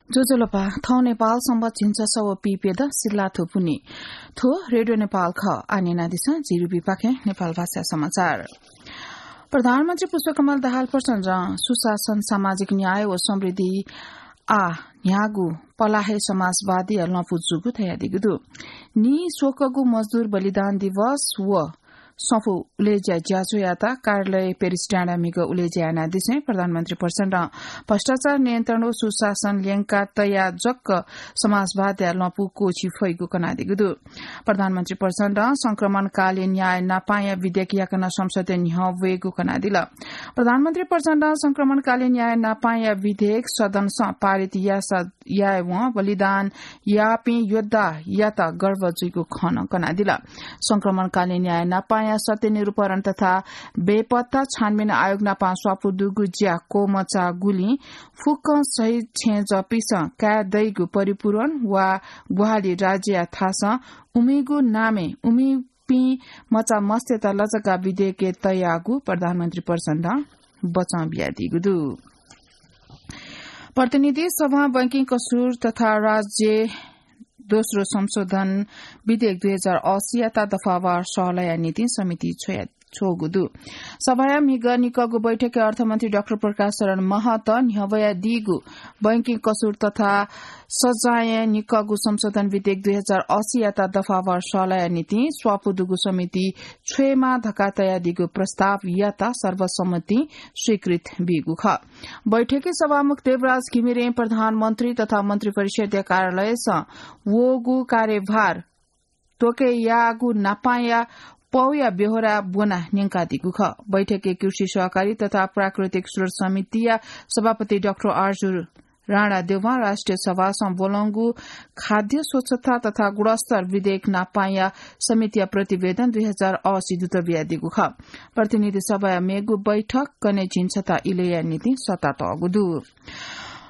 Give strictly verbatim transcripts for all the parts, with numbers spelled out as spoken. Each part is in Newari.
ज्वजलपा, थौं नेपाल संवत् झिंछसः व पीप्यदँ सिल्लाथ्व पुन्हि। थ्व रेडियो नेपाल खः। आः न्यनादिसँ झी रुबिपाखें नेपाल भाषा समाचार। प्रधानमन्त्री पुष्पकमल दाहाल प्रचण्डं सुशासन, सामाजिक न्याय व समृद्धि आः न्ह्यागु पलाः हे समाजवादया लँपु जूगु धयादीगु दु। नीस्वकःगु मजदुर बलिदान दिवस व सफू उलेज्या ज्याझ्वःयात कार्यालय पेरिस डाँडाय् म्हिगः उलेज्या यानादिसें प्रधानमन्त्री प्रचण्डं भ्रष्टाचार नियन्त्रण व सुशासन ल्यंका तयाः जक समाजवादया लँपु क्वःछी फइगु कनादीगु दु। प्रधानमन्त्री प्रचण्डं संक्रमणकालीन न्याय नापांया विधेयक याकनं संसदय् न्ह्यः वयेगु कनादिल। प्रधानमन्त्री प्रचण्डं संक्रमणकालीन न्याय नापांया विधेयक सदनसं पारित याःसा यायेवं बलिदान याःपिं योद्धायात गर्व जुइगु खँ नं कनादिल। संक्रमणकालीन न्याय नापांया सत्य निरूपण तथा बेपत्ता छानबिन आयोग नापां स्वापू दुगु ज्या क्वमचाःगुलिं फुक्कं शहीद छेँजःपिसं काये दइगु परिपूरण वा ग्वाहालि राज्यया थासं उमिगु नामय् उमिपिं मचा मस्तय्त लजगाः विधेयकय् तयागु प्रधानमन्त्री प्रचण्डं बचं बियादीगु दु। प्रतिनिधि सभां बैंकिङ कसुर तथा राज्य दोस्रो संशोधन विधेयक दुई हजार अस्सीयात दफावार सहलहया निंतिं समिति छ्वया-, छ्वःगु दु। सभाया म्हिगः निकःगु बैठकय् अर्थमन्त्री डाक्टर प्रकाश शरण महतं न्ह्यब्वयादीगु बैंकिङ कसुर तथा सजाँय निकःगु संशोधन विधेयक दुई हजार अस्सीयात दफावार सहलहया निंतिं स्वापू दुगु समिति छ्वयेमाः धकाः तयादीगु प्रस्तावयात सर्वसम्मतिं स्वीकृत बीगु खः। बैठकय् सभामुख देवराज घिमिरें प्रधानमन्त्री तथा मन्त्रिपरिषद्या कार्यालयसं वःगु कार्यभार त्वकय् याःगु नापांया पौया ब्यहोरा ब्वनाः न्यंकादीगु खः। बैठकय् कृषि सहकारी तथा प्राकृतिक स्रोत समितिया सभापति डाक्टर आरजु राणा देवां राष्ट्रिय सभासं ब्वलंगु खाद्य स्वच्छता तथा गुणस्तर विधेयक नापांया समितिया प्रतिवेदन दुई हजार अस्सी दुत बियादीगु खः। प्रतिनिधि सभाया मेगु बैठक कन्हय् झिंछता इलय्‌या निंतिं सःतातःगु दु।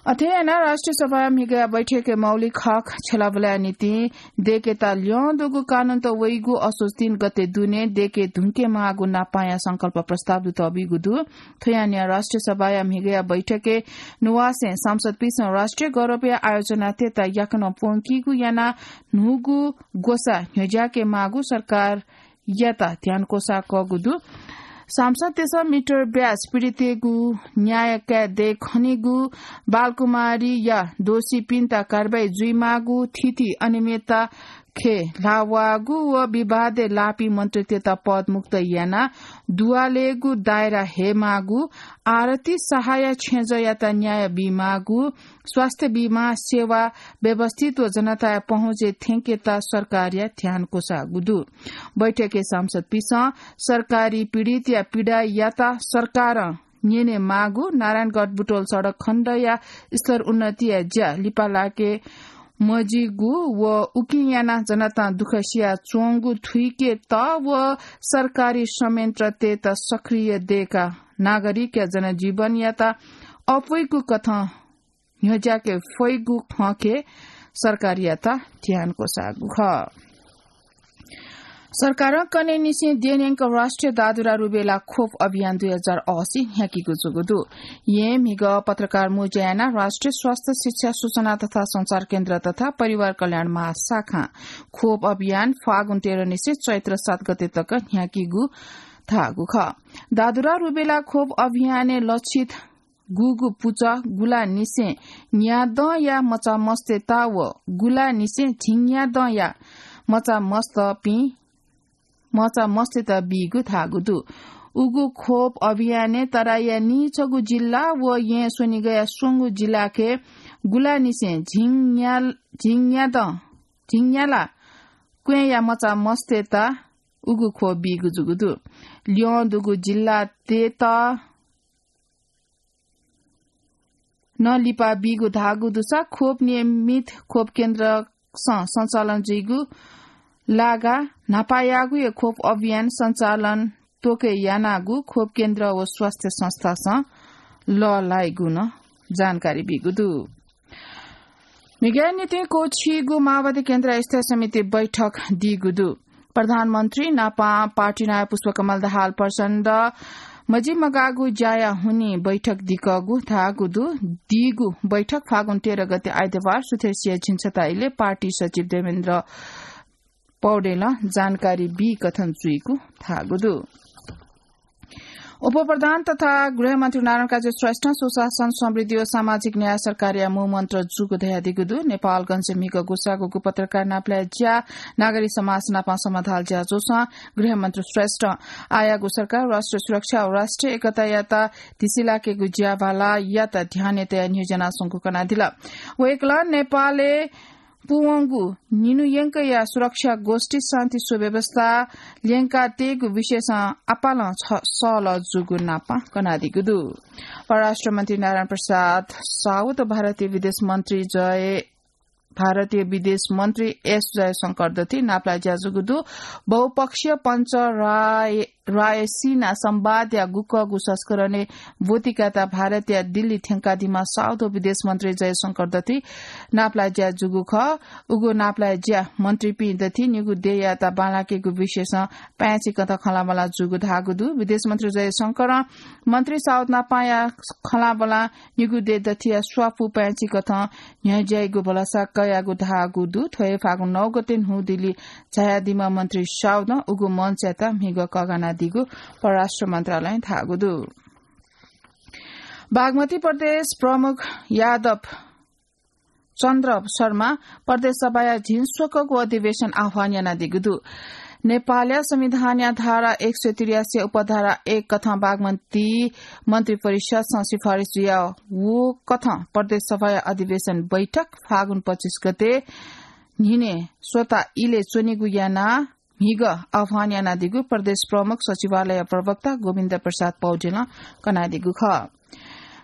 अथे यानाः राष्ट्रिय सभाया म्हिगःया बैठकय् मौलिक हक छ्यलाबुलाया निंतिं दय्‌केत ल्यं दुगु कानूनत वइगु असोज तीन गते दुने दय्‌के धुंकेमाःगु नापांया संकल्प प्रस्ताव दुत बीगु दु। थ्व यानाः राष्ट्रिय सभाया म्हिगःया बैठकय् नुवासें सांसदपिसं राष्ट्रिय गौरवया आयोजनातय्त याकनं प्वंकीगु यानाः न्हूगु ग्वसाः न्ह्यज्याकेमाःगु सरकारयात ध्यान क्वसाकःगु दु। सांसदतय्सं मिटर ब्याज पीडितय्गु न्याय काये दये खनीगु, बालकुमारीया दोषीपिन्त कारवाही जुइमाःगु, थीथी अनियमितता खँय् ल्हाः वःगु व विवादय् लाःपिं मन्त्रीतय्त पदमुक्त यानाः दुवालय्गु दायरा हयेमाःगु, आरती शाहया छेँजःयात न्याय बीमाःगु, स्वास्थ्य बीमा सेवा व्यवस्थित व जनताया पहुँचय् थ्यंकेत सरकारया ध्यान क्वसाःगु दु। बैठकय् सांसदपिसं सरकारी पीडितया पीडायात सरकारं न्यनेमाःगु, नारायणगढ बुटवल सडक खण्डया स्तर उन्नतिया ज्या लिपा लाके मजिगु व उकिं यानाः जनतां दुःख सिया च्वंगु थुइकेत व सरकारी संयन्त्रतय्त सक्रिय दय्काः नागरिकया जनजीवनयात अप्वइगु कथं न्ह्यज्याके फइगु खँके सरकारयात ध्यान क्वसाःगु खः। सरकारं कन्हय्निसें द्यनेंक राष्ट्रिय दादुरा रुबेला खोप अभियान दुई हजार अस्सी न्ह्याकीगु जूगु दु। येँ म्हिगः पत्रकार मुँज्या यानाः राष्ट्रिय स्वास्थ्य शिक्षा सूचना तथा संचार केन्द्र तथा परिवार कल्याण महाशाखां खोप अभियान फागुन तेह्रनिसें चैत्र सात गते तक न्ह्याकीगु धाःगु खः। दादुरा रुबेला खोप अभियानय् लक्षित गुगु पुचः, गुलानिसें न्यादँया मचामस्तय्त व गुलानिसें झिंन्यादँया मचामस्तपिं, मचामस्तय्त बीगु धाःगु दु। उगु खोप अभियानय् तराईया नीछगू जिल्ला व येँ स्वनिगःया स्वंगू जिल्लाके गुलानिसें झिंन्या-, झिंन्यादँ, झिंन्याला क्वँय्या मचामस्तय्त उगु खोप बीगु जूगु दु। ल्यं दुगु जिल्लातय्त नं लिपा बीगु धाःगु दुसा खोप नियमित खोप केन्द्रसं सञ्चालन जुइगु लागा न्हापायागु हे खोप अभियान सञ्चालन त्वके यानागु खोप केन्द्र व स्वास्थ्य संस्थासं लःल्हाइगु नं जानकारी बीगु दु। म्हिगःया निंतिं क्वःछीगु माओवादी केन्द्र स्थायी समिति बैठक दीगु दु। प्रधानमन्त्री नापं पार्टी नायः पुष्पकमल दाहाल प्रचण्ड मजिमगाःगु ज्याया हुनिं बैठक दिकःगु धाःगु दु। दीगु बैठक फागुन तेह्र गते आइतबार सुथसिया झिंछता इलय् पार्टी सचिव देवेन्द्र पौडेलं जानकारी बीकथं जुइगु धाःगु दु। उपप्रधान तथा गृहमन्त्री नारायण काजी श्रेष्ठं सुशासन, समृद्धि व सामाजिक न्याय सरकारया मूलमन्त्र जूगु धयादीगु दु। नेपालगंजय् म्हिगः गुसागुगु पत्रकार नापलाये ज्या, नागरिक समाज नाप समाधाल ज्याझ्वलय् गृहमन्त्री श्रेष्ठं आःयागु सरकार राष्ट्रिय सुरक्षा व राष्ट्रिय एकतायात धिसिलाकेगु ज्याभालायात ध्यानय् तयाः न्ह्यज्यानाच्वंगु कनादिल। वय्कलं नेपालय् पूवंगु निन्हु यंकया सुरक्षा गोष्ठी, शान्ति सुव्यवस्था ल्यंकातयेगु विषयसं आपालं छ-, सहलह जूगु नापं कनादीगु दु। परराष्ट्र मन्त्री नारायण प्रसाद साउद भारतीय विदेश मन्त्री जय, भारतीय विदेश मन्त्री एस जयशंकर दथि नापलाये ज्या जूगु दु। बहुपक्षीय पञ्च राय रायसीना संवादया गुकःगु संस्करणय् ब्वति कायेत भारतया दिल्ली थ्यंकादीम्ह साउद विदेश मन्त्री जयशंकर दथि नापलाये ज्या जूगु खः। उगु नापलाये ज्या मन्त्रीपिं दथि निगू देय्‌यात बांलाकेगु विषयसं पाय्‌छि कथं खँल्हाबल्हा जूगु धाःगु दु। विदेश मन्त्री जयशंकरं मन्त्री साउद नापया खँल्हाबल्हा निगू देय् दथिया स्वापू पाय्‌छि कथं न्ह्यज्याइगु भलसा कयागु धाःगु दु। थ्व हे फागुन नौ गते न्हू दिल्ली झायादीम्ह मन्त्री साउदं उगु मञ्चयात म्हिगः कःघानादीगु परराष्ट्र मन्त्रालयं धाःगु दु। बागमती प्रदेश प्रमुख यादव चन्द्र शर्मा प्रदेश सभाया झिंस्वकःगु अधिवेशन आह्वान यानादीगु दु। नेपालया संविधानया धारा एक सय त्रियासी उपधारा एक कथं बागमती मन्त्री परिषदसं सिफारिस जुया व कथं प्रदेश सभाया अधिवेशन बैठक फागुन पच्चिस गते न्हिने स्वता इलय् च्वनेगु यानाः म्हिगः आह्वान यानादीगु प्रदेश प्रमुख सचिवालय प्रवक्ता गोविन्द प्रसाद पौडेलं कनादीगु खः।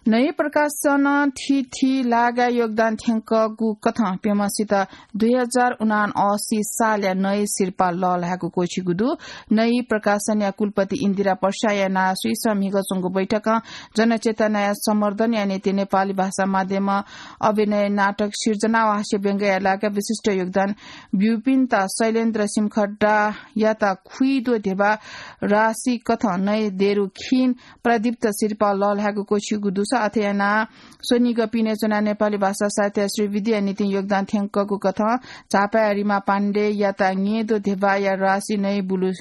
नयु प्रकाशन थीथी लागाय् योगदान थ्यंकःगु कथं प्यम्हसित दुई हजार उनासी सालया नयु सिरपाः लःल्हायेगु क्वःछिगु दु। नयु प्रकाशनया कुलपति इन्दिरा पर्साया नां सुइसं म्हिगः च्वंगु बैठकं जनचेतनाया संवर्धनया निंतिं नेपाली भाषा माध्यमं अभिनय, नाटक सिर्जना व हास्य व्यंग्यया लागाय् विशिष्ट योगदान ब्यूपिन्त शैलेन्द्र सिमखड्डायात खुइदो ध्यबा राशि कथं नयु देरु खिन प्रदीप्त सिरपाः लःल्हायेगु क्वःछिगु दुसा अथे यानाः स्वनिगः पिने च्वनाः नेपाली भाषा साहित्य श्रीवृद्धिया निंतिं योगदान थ्यंकःगु कथं झापाया रिमा पाण्डेयात ङेदो ध्यबाया राशि नयु बुलु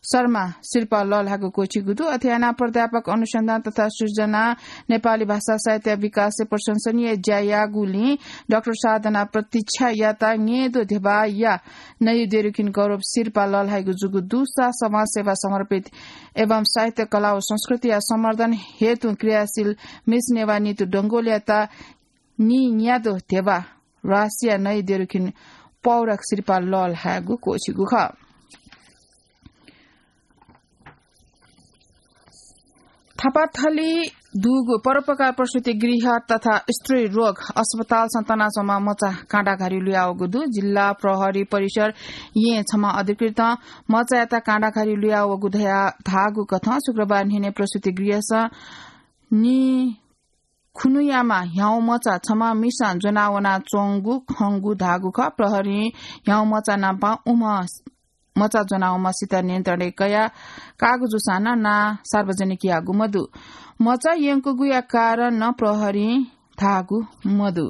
शर्मा सिरपाः लःल्हायेगु क्वःछिगु दु। अथे यानाः प्राध्यापक अनुसन्धान तथा सृजना नेपाली भाषा साहित्य विकासय् प्रशंसनीय ज्या याःगुलिं डाक्टर साधना प्रतीक्षायात ङेदो ध्यबाया नयु देरुखिन गौरव सिरपाः लःल्हायेगु जूगु दुसा समाजसेवा समर्पित एवं साहित्य, कला व संस्कृतिया संवर्धन हेतु क्रियाशील मिस नेवाः नितु डंगोलयात नीन्यादँ ध्यबा राशिया नयु देरुखिन पौराक सिरपाः लःल्हायेगु क्वःछिगु खः। थापाथली दुगु परोपकार प्रसूति गृह तथा स्त्री रोग अस्पतालसं तनाच्वंम्ह मचा काँडाघारी लुयावःगु दु। जिल्ला प्रहरी परिसर येँ छम्ह अधिकृतं मचायात काँडाघारी लुयावःगु धया धाःगु कथं शुक्रबार न्हिने प्रसूति गृहसं नि खुनुयामा ह्याउँ मचा छम्ह मिसां ज्वनावनाच्वंगु खंगु धाःगु खः। प्रहरीं ह्याउँ मचा नाप उम्ह मचा ज्वनावंम्हसित नियन्त्रणय् कयाः काःगु जूसां नं नां सार्वजनिक याःगु मदु। मचा यंकूगुया कारण नं प्रहरीं धाःगु मदु।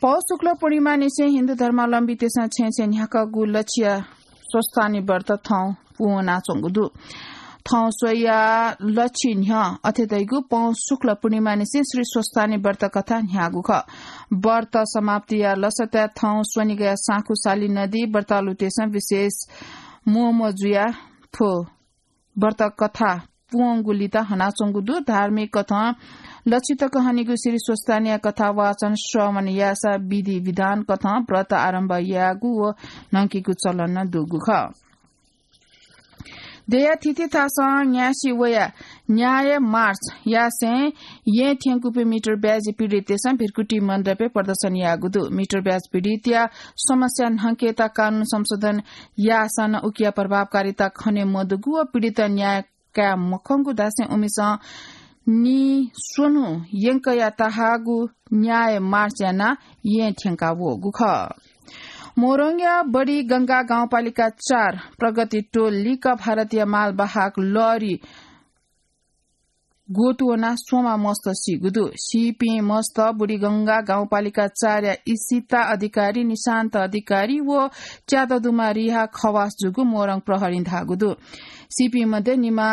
पौष शुक्ल पूर्णिमानिसें हिन्दू धर्मावलम्बीतय्‌सं छेँय् छेँय् न्ह्याकःगु लच्छिया स्वस्थानी व्रत थौं पूवनाच्वंगु दु। थौं स्वया लच्छी न्ह्यः अथे धइगु पौष शुक्ल पूर्णिमानिसें श्री स्वस्थानी व्रत कथा न्ह्याःगु खः। व्रत समाप्तिया लसताय् थौं स्वनिगःया साँखु साली नदी व्रतालुतय्‌सं विशेष मोहम्ह जुयाः थ्व व्रत कथा पूवंगु लित हनाच्वंगु दु। धार्मिक कथं लच्छी तक हनीगु श्री स्वस्थानीया कथा वाचन श्रवण याःसा विधि विधान कथं व्रत आरम्भ याःगु व न्हंकीगु चलन नं दुगु खः। देया थीथी थासं न्यासि वया न्याय मार्च यासें येँ थ्यंकूपिं मिटर ब्याजी पीडितय्‌सं भिरकुटी मण्डपय् प्रदर्शन याःगु दु। मिटर ब्याज पीडितया समस्या न्हंकेत कानून संशोधन याःसां नं उकिया प्रभावकारिता खने मदुगु व पीडित न्याय काये मखंगु धासें उमिसं निस्वन्हु यंकया तहाःगु न्याय मार्च यानाः येँ थ्यंका वःगु खः। मोरङया बडी गंगा गाउँपालिका चार प्रगति टोल लिक्क भारतीय मालवाहक लरी ग्वतुवना स्वमा मस्त सीगु दु। सीपिं मस्त बुढीगंगा गाउँपालिका चारया इसिता अधिकारी, निशान्त अधिकारी व च्याददुमा रिहा खवास जूगु मोरङ प्रहरीं धाःगु दु। सीपिं मध्ये निमा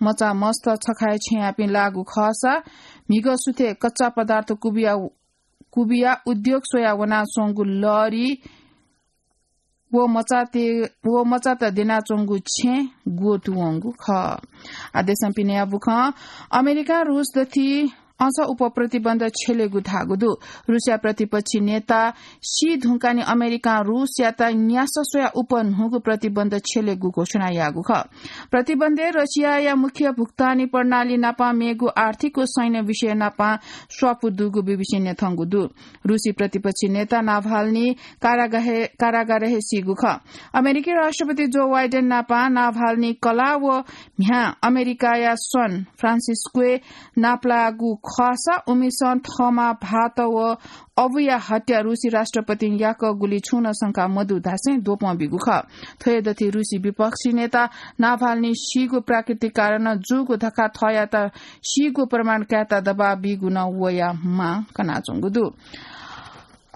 मचा मस्त छखाय् छेँयापिं लाःगु खःसा म्हिगः सुथे कच्चा पदार्थ कुबिया, कुबिया उद्योग स्वया वनाच्वंगु लरी व मचाते, व मचात द्यनाच्वंगु छेँ ग्वतुवंगु खः। आ देशं पिने याबुखं अमेरिकां रूस दथि अझ उप प्रतिबन्ध छ्यलेगु धाःगु दु। रूसया प्रतिपक्षी नेता सी धुंकानि अमेरिकां रूसयात न्यासः स्वया उप न्हूगु प्रतिबन्ध छ्यलेगु घोषणा याःगु खः। प्रतिबन्धय् रसियाया मुख्य भुक्तानी प्रणाली नापं मेगु आर्थिक व सैन्य विषय नापं स्वापू दुगु बीबीसीं न्यंकूगु दु। रूसी प्रतिपक्षी नेता नाभाल्नी कारागाहे-, कारागारय् सीगु खः। अमेरिकी राष्ट्रपति जो बाइडेन नापं नाभाल्नी कलाः व म्ह्याय् अमेरिकाया सान फ्रान्सिस्कोय् नापलाःगु खःसा उमिसं थःमा भाःत व अबुया हत्या रूसी राष्ट्रपतिं याकःगुली छुं नं शंका मदु धासें द्वपं बीगु खः। थ्व हे दथि रूसी विपक्षी नेता नाभाल्नी सीगु प्राकृतिक कारणं जूगु धकाः थःयात सीगु प्रमाण कायेत दबाब बीगु नं वया मां कनाच्वंगु दु।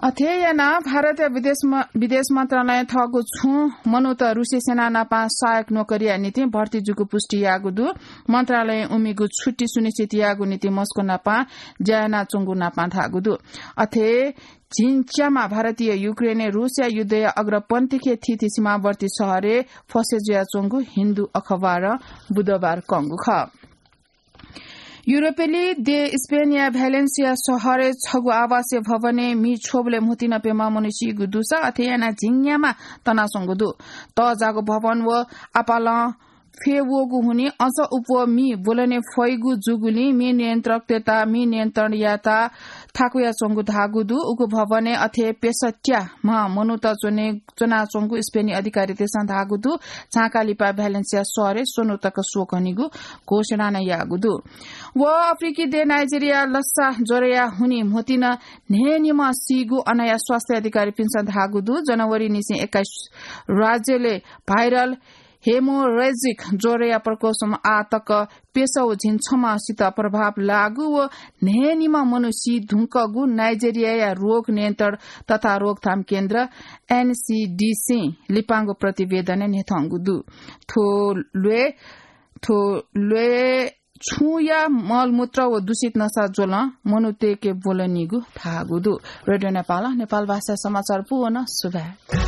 अथे यानाः भारतया विदेश म-, विदेश मन्त्रालयं थःगु छुं मनूत रूसी सेना नापं सहायक नोकरीया निंतिं भर्ती जूगु पुष्टि याःगु दु। मन्त्रालयं उमिगु छुट्टी सुनिश्चित याःगु निंतिं मस्को नापं ज्या यानाच्वंगु नापं धाःगु दु। अथे झिंच्यामा भारतीय युक्रेनय् रूसया युद्धया अग्रपंथीखे थीथी सीमावर्ती शहरय् फसे जुयाच्वंगु हिन्दू अखबारं बुधबार कंगु खः। युरोपेली देश स्पेनया भ्यालेन्सिया शहरय् छगू आवासीय भवनय् म्हि छ्वबलय् म्हुतुइ नं प्यम्ह मनू सीगु दुसा अथे यानाः झिंन्यामा तनाच्वंगु दु। तःजाःगु भवन व आपालं फ्यवःगु हुनिं अझ उप म्हि ब्वलने फइगु जूगुलिं म्हि नियन्त्रकतय्त म्हि नियन्त्रण यायेत थाकुयाच्वंगु धाःगु दु। उगु भवनय् अथे प्यसः त्याः म्ह मनूत च्वने च्वनाच्वंगु स्पेनी अधिकारीतय्सं धाःगु दु। झांकाः लिपा भ्यालेन्सिया शहरय् स्वन्हु तक शोक हनीगु घोषणा नं याःगु दु। व अफ्रिकी देय् नाइजेरियाय् लस्सा ज्वरया हुनिं म्हुतुइ नं न्हय्निम्ह सीगु अनया स्वास्थ्य अधिकारीपिन्सं धाःगु दु। जनवरीनिसें एक्काइस राज्यलय् भाइरल हेमोरेजिक ज्वरया प्रकोपसम्म आः तक प्यसः व झिंछम्हसित प्रभाव लाःगु व न्हय्निम्ह मनू सी धुंकूगु नाइजेरियाया रोग नियन्त्रण तथा रोकथाम केन्द्र एनसिडिसीं लिपांगु प्रतिवेदनय् न्ह्यथंगु दु। थ्व ल्वय्, थ्व ल्वय् छुँया मलमूत्र व दूषित नसा ज्वलं मनूतय्के ब्वलनीगु धाःगु दु। रेडियो नेपालं नेपाल भाषा समाचार पूवन सुभाय्।